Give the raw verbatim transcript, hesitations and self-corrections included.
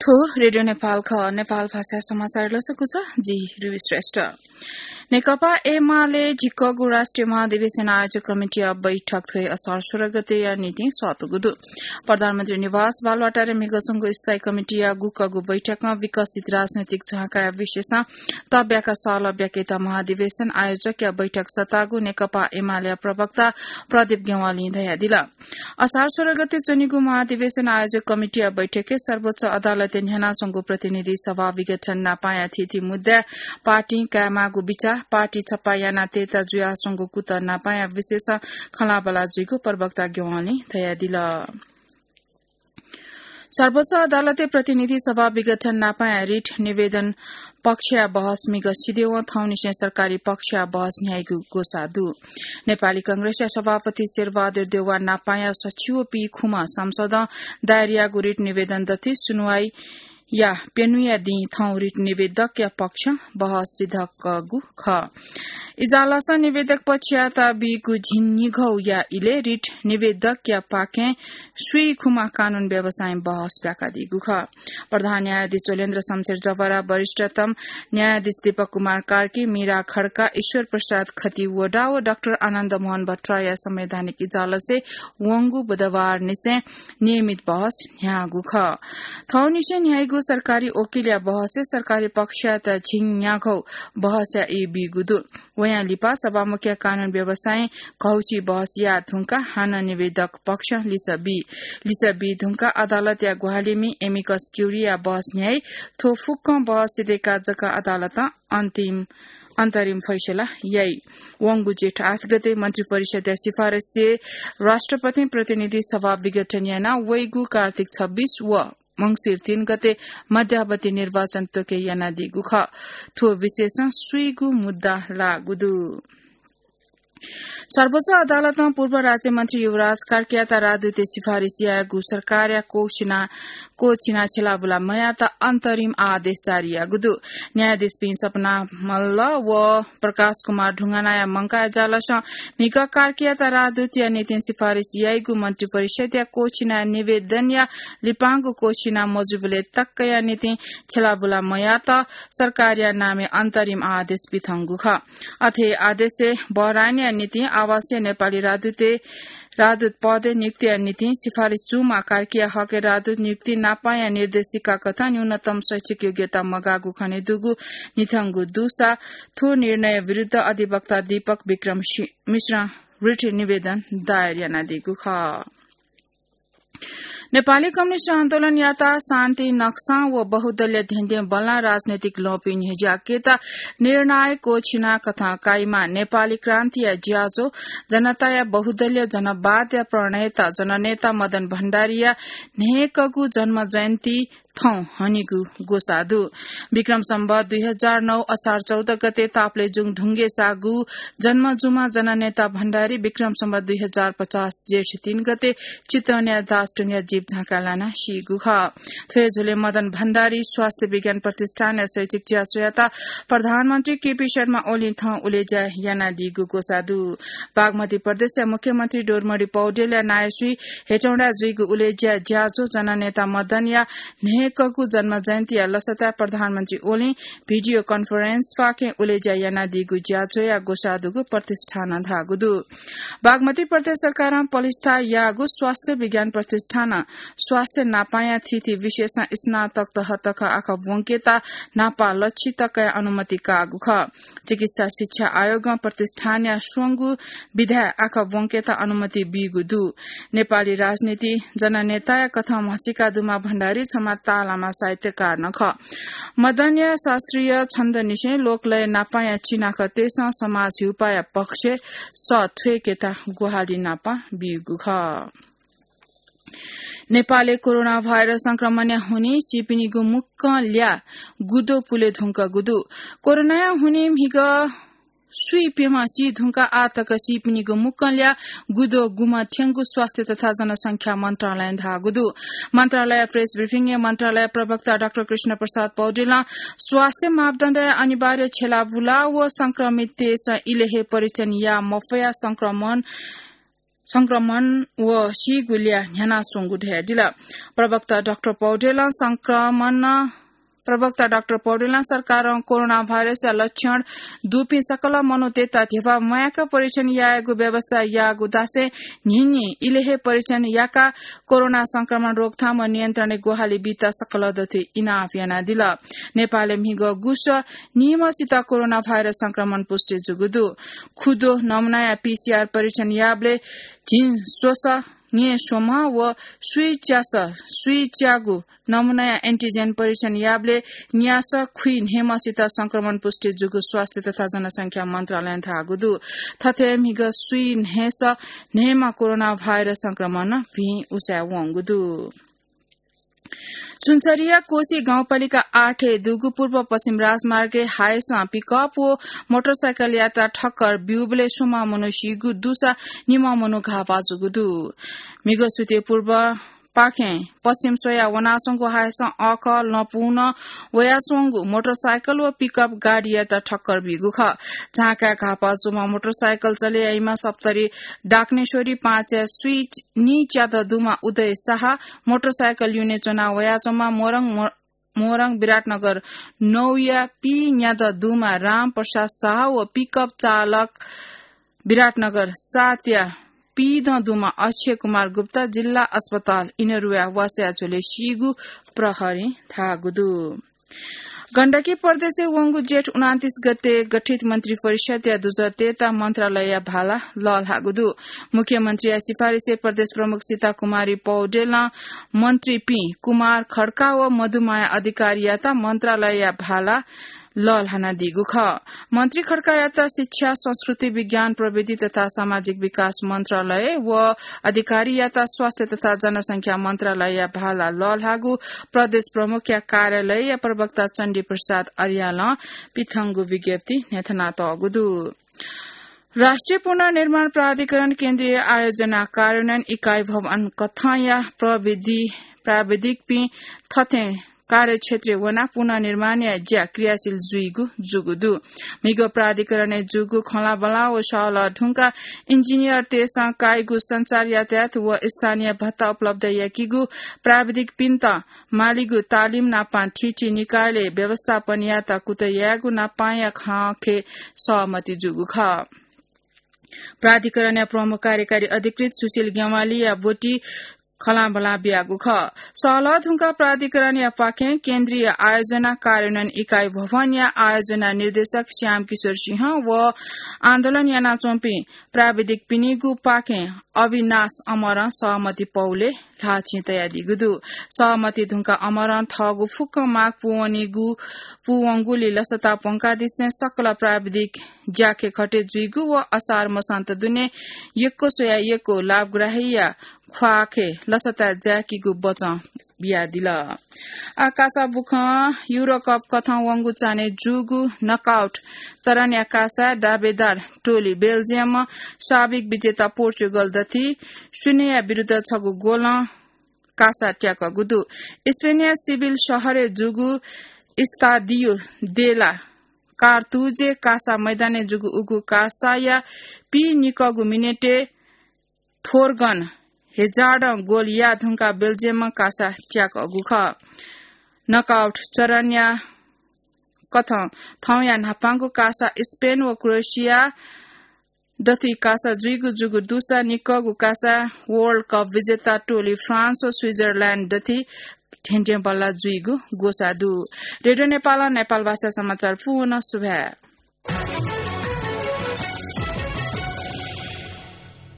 थ्व रेडियो नेपाल खः। नेपाल भाषा समाचार लसकु छ, जि रुबी श्रेष्ठ। नेकपा एमाले झिक्कगु राष्ट्रिय महाधिवेशन आयोजक कमिटीया बैठक थ्व हे असार सोह्र गतेया निंतिं सःतूगु दु। प्रधानमन्त्री निवास बालुवाटारय् म्हिगः स्वंगु स्थायी कमिटीया गुकःगु बैठकं विकसित राजनैतिक झाँकाया विषयसं तब्याका सःल ब्याकेत महाधिवेशन आयोजकया बैठक सःतागु नेकपा एमालेया प्रवक्ता प्रदीप ज्ञवालीं धयादिल। असार सोह्र गते च्वनीगु महाधिवेशन आयोजक कमिटीया बैठकय् सर्वोच्च अदालतय् न्ह्यानाच्वंगु प्रतिनिधि सभा विघटन नापांया थीथी मुद्दाय् पार्टीं कायेमाःगु बिचाः, पार्टी छप्पा यानाः तयेता जुयाच्वंगु कुतः नापांया विषयसं खँल्हाबल्हा जुइगु प्रवक्ता ज्ञवालीं धयादिल। सर्वोच्च अदालतय् प्रतिनिधि सभा विघटन नापांया रिट निवेदन पक्षया बहस म्हिगः सिधयेवं थौंनिसें सरकारी पक्षया बहस न्ह्याइगु ग्वसाः दु। नेपाली कांग्रेसया सभापति शेरबहादुर देउवा नापांया सछिवःपिं खुम्ह सांसदं दायर याःगु रिट निवेदन दथुइ सुनुवाइया प्यन्हुया दिं थौं रिट निवेदकया पक्षं बहस सिधकःगु खः। इजलासं निवेदक पक्षयात बीगु झिंन्हिगौया इलय् रिट निवेदकया पाखें स्वीखुम्ह कानून व्यवसायीं बहस ब्याकादीगु खः। प्रधान न्यायाधीश चोलेन्द्र शमशेर जवरा, वरिष्ठतम न्यायाधीश दीपक कुमार कार्की, मीरा खड्का, ईश्वर प्रसाद खतिवडा व डाक्टर आनन्द मोहन भट्टराईया संवैधानिक इजलासय् वंगु बुधबारनिसें नियमित बहस न्ह्याःगु खः। थौंनिसें न्ह्याइगु सरकारी वकिलया बहसय् सरकारी पक्षयात झिंन्यागौ बहसया ई बीगु दु। वयां लिपा सभामुखया कानून व्यवसायीं घौछि बहस याये धुंकाः हानं निवेदक पक्षं लिसः बी। लिसः बी धुंकाः अदालतया ग्वाहालिमि amicus curiae या बहस न्ह्याइ। थ्व फुक्कं बहस सिधय्काः जक अदालतं अन्तिम, अन्तरिम फैसला याइ। वंगु जेठ आठ गते मन्त्रिपरिषदया सिफारिसय् राष्ट्रपतिं प्रतिनिधि सभा विघटन यानाः वइगु कार्तिक छब्बीस व मंसिर तीन गते मध्यावधि निर्वाचन त्वके यानादीगु खः। थ्व विषयसं स्वीगू मुद्दा लाःगु दु। सर्वोच्च अदालतं पूर्व राज्यमन्त्री युवराज कार्कीयात राजदूतय् सिफारिस यायेगु सरकारया क्वःछिना, क्वःछिना छ्यलाबुला मयात अन्तरिम आदेश जारी याःगु दु। न्यायाधीशपिं सपना मल्ल व प्रकाश कुमार ढुङ्गानाया मंकाः इजलासं म्हिगः कार्कीयात राजदूतया निंतिं सिफारिस याइगु मन्त्रिपरिषदया क्वःछिना निवेदनया लिपांगु क्वःछिना मजूबलय् तकया निंतिं छ्यलाबुला मयात सरकारया नामय् अन्तरिम आदेश बियातःगु खः। अथे आदेशय् बहराइनया निंतिं आवासीय नेपाली राजदूतय् राजदूत पदय् नियुक्तिया निंतिं सिफारिस जूम्ह कार्कीया हकय् राजदूत नियुक्ति नापांया निर्देशिका कथं न्यूनतम शैक्षिक योग्यता मगाःगु खनेदुगु न्हिथंगु दुसा थ्व निर्णय विरुद्ध अधिवक्ता दीपक विक्रम शि-, मिश्रं रिट निवेदन दायर यानादीगु खः। नेपाली कम्युनिस्ट आन्दोलनयात शान्ति नक्सां व बहुदलीय धेंधें बल्लां राजनैतिक ल्वहंपिं न्ह्यज्याकेत निर्णायक क्वःछिना कथं काइम्ह नेपाली क्रान्तिया ज्याझ्वः जनताया बहुदलीय जनवादया प्रणेता जननेता मदन भण्डारीया न्हय्कःगु जन्म जयन्ती थौं हनीगु ग्वसाः दु। विक्रम सम्वत दुई हजार नौ असार चौध गते तापलेजुङ ढुङ्गेसागु जन्म जूम्ह जननेता भण्डारी विक्रम सम्वत दुई हजार पचास जेठ तीन गते चितवनया दासढुङ्गाय् जीप झाँक्क लानाः सीगु खः। थ्व हे झ्वलय् मदन भण्डारी स्वास्थ्य विज्ञान प्रतिष्ठानया शैक्षिक ज्याझ्वःयात प्रधानमन्त्री केपी शर्मा ओलीं थौं उलेज्या यानादीगु ग्वसाः दु। बागमती प्रदेशया मुख्यमन्त्री डोरीमणि पौडेलया नायःसुइ हेटौँडाय् जुइगु उलेज्या ज्याझ्वः जननेता मदनया न्हय्कःगु जन्म जयन्तीया लसताय् प्रधानमन्त्री ओलीं भिडियो कन्फरेन्सपाखें उलेज्या यानादीगु ज्याझ्वःया ग्वसाः दुगु प्रतिष्ठानं धाःगु दु। बागमती प्रदेश सरकारं पलिस्था याःगु स्वास्थ्य विज्ञान प्रतिष्ठानं स्वास्थ्य नापांया थीथी विषयसं स्नातक तह तक आखः ब्वंकेत न्हापा लच्छि तकया अनुमति काःगु खः। चिकित्सा शिक्षा आयोगं प्रतिष्ठानया स्वंगू विधाय् आखः ब्वंकेत अनुमति बीगु दु। नेपाली राजनीति जननेताया कथं म्हसीका दुम्ह भण्डारी छम्ह ताःलाम्ह साहित्यकार नं खः। मदनया शास्त्रीय छन्दनिसें लोकलय नापांया चिनाखँतय्सं समाज हिउपाःया पक्षय् सः थ्वय्केत ग्वाहालि नापं बीगु खः। नेपालय् कोरोना भाइरस संक्रमणया हुनिं सीपिनिगु मुक्कं ल्याः गुद्वः पुले धुंकूगु दु। कोरोनाया हुनिं म्हिगः स्वीप्यम्ह सी धुंकाः आः तक सीपिनिगु मुक्कं ल्याः गुद्वः गुम्ह थ्यंगु स्वास्थ्य तथा जनसंख्या मन्त्रालयं धाःगु दु। मन्त्रालय प्रेस ब्रिफिङय् मन्त्रालय प्रवक्ता डाक्टर कृष्ण प्रसाद पौडेलं स्वास्थ्य मापदण्डया अनिवार्य छ्यलाबुला व संक्रमिततय्सं इलय् हे परीक्षण याः मफयाः संक्रमण संक्रमण व सीगु ल्याः न्ह्यानाच्वंगु धयादिल। प्रवक्ता डाक्टर पौडेलं संक्रमण, प्रवक्ता डाक्टर पौडेलं सरकारं कोरोना भाइरसया लक्षण दुपिं सकल मनूतय्त ध्यबा म्वायेक परीक्षण यायेगु व्यवस्था याःगु धासें न्हिन्हि इलय् हे परीक्षण याकाः कोरोना संक्रमण रोकथाम व नियन्त्रणय् ग्वाहालि बीत सकल दथुइ इनाप यानादिल। नेपालय् म्हिगः गुस निम्हसित कोरोना भाइरस संक्रमण पुष्टि जूगु दु। खुद्वः नमुनाया पीसीआर परीक्षण याःबलय् झिंस्वसः न्येस्वम्ह व स्वीच्यासः स्वीच्यागु नमुनाया एन्टिजेन परीक्षण याःबलय् न्यासः खुइन्हय्म्हसित संक्रमण पुष्टि जूगु स्वास्थ्य तथा जनसंख्या मन्त्रालयं धाःगु दु। थथे म्हिगः स्वीन्हय्सः न्हय्म्ह कोरोना भाइरस संक्रमण भिं उसाँय् वंगु दु। सुनसरीया कोशी गाउँपालिका आठय् दुगु पूर्व पश्चिम राजमार्गय् हायसं पिकअप व मोटरसाइकल यात्रा ठक्कर ब्यूबलय् स्वम्ह मनू सीगु दुसा निम्ह मनू घाःपाः जूगु दु। म्हिगः सुथय् पूर्व पाखें पश्चिम स्वयाः वनाच्वंगु हायसं अःखः लँपुं वयाच्वंगु मोटरसाइकल व पिकअप गाडीयात ठक्कर बीगु खः। झांकाय् घाःपाः जूम्ह मोटरसाइकल चले याइम्ह सप्तरी डाकनेश्वरी पाँचय् स्वीनिच्यादँ दुम्ह उदय साहा, मोटरसाइकल युने च्वना वयाच्वंम्ह मोरङ, मो-, मोरङ विराटनगर नौया पीन्यादँ दुम्ह रामप्रसाद साहा व पिकअप चालक विराटनगर सातया पीदँ दुम्ह अक्षय कुमार गुप्ता जिल्ला अस्पताल इनरुवाय् वासः झ्वलय् सीगु प्रहरीं धाःगु दु। गण्डकी प्रदेशय् वंगु जेठ उनान्तीस गते गठित मन्त्री परिषदया दुजःतय्त मन्त्रालयया भाला लःल्हाःगु दु। मुख्यमन्त्रीया सिफारिसय् प्रदेश प्रमुख सीता कुमारी पौडेलं मन्त्रीपिं कुमार खड्का व मधुमाया अधिकारीयात मन्त्रालयया भाला लःल्हानादीगु खः। मन्त्री खड्कायात शिक्षा, संस्कृति, विज्ञान, प्रविधि तथा सामाजिक विकास मन्त्रालय व अधिकारीयात स्वास्थ्य तथा जनसंख्या मन्त्रालयया भाला लःल्हाःगु प्रदेश प्रमुखया कार्यालयया प्रवक्ता चण्डी प्रसाद अर्यालं पिथंगु विज्ञप्ति न्ह्यथनातःगु दु। राष्ट्रिय पुनर्निर्माण प्राधिकरण केन्द्रीय आयोजना कार्यान्वयन इकाई भवन कथंया प्रविधि, प्राविधिकपिं थथें कार्यक्षेत्रय् वनाः पुनर्निर्माणया ज्या क्रियाशील जुइगु जूगु दु। म्हिगः प्राधिकरणय् जूगु खँल्हाबल्हा व सहलह धुंकाः इन्जिनियरतय्सं काइगु सञ्चार यातायात व स्थानीय भत्ता उपलब्ध याकीगु, प्राविधिकपिन्त मालीगु तालिम नापं थीथी निकायलय् व्यवस्थापन यायेत कुतः यायेगु नापंया खँखय् सहमति जूगु खः। प्राधिकरणया प्रमुख कार्यकारी अधिकृत सुशील ज्ञवालीया ब्वति खँल्हाबल्हा बियागु खः। सहलह धुंकाः प्राधिकरणया पाखें केन्द्रीय आयोजना कार्यान्वयन इकाई भवनया आयोजना निर्देशक श्याम किशोर सिंह व आन्दोलन यानाच्वंपिं प्राविधिकपिनिगु पाखें अविनाश अमरं सहमति पौलय् ल्हाःचिं तयादीगु दु। सहमति धुंकाः अमरं थःगु फुक्क माग पूवनीगु, पूवंगुलिं लसता प्वंकादिसें सकल प्राविधिक ज्याखँय् खटे जुइगु व असार मसान्त दुने यक्व स्वयाः यक्व लाभग्राहीया ख्वाःखय् लसता जाय्कीगु बचं बियादिल। आः कासा बुखँ युरोकप कथं वंगु चान्हय् जूगु नकआउट चरणया कासा दावेदार टोली बेल्जियमं साबिक विजेता पोर्चुगल दथुइ शून्यया विरुद्ध छगू गोलं कासा त्याकःगु दु। स्पेनया सिभिल शहरय् जूगु इस्तादियो दे ला कार्तुजय् कासा मैदानय् जूगु उगु कासाया पीनिकःगु मिनेटय् थोर्गन हेजार्डं गोल याः धुंकाः बेल्जियमं कासा त्याकःगु खः। नकआउट चरणया कथं थौंया न्हापांगु कासा स्पेन व क्रोएसिया दथुइ कासा जुइगु जूगु दुसा निकःगु कासा वर्ल्ड कप विजेता टोली फ्रान्स व स्विजरल्याण्ड दथुइ धेंधेंबल्ला जुइगु ग्वसाः दु। रेडियो नेपालं नेपाल भाषा समाचार पूवं सुभाय्।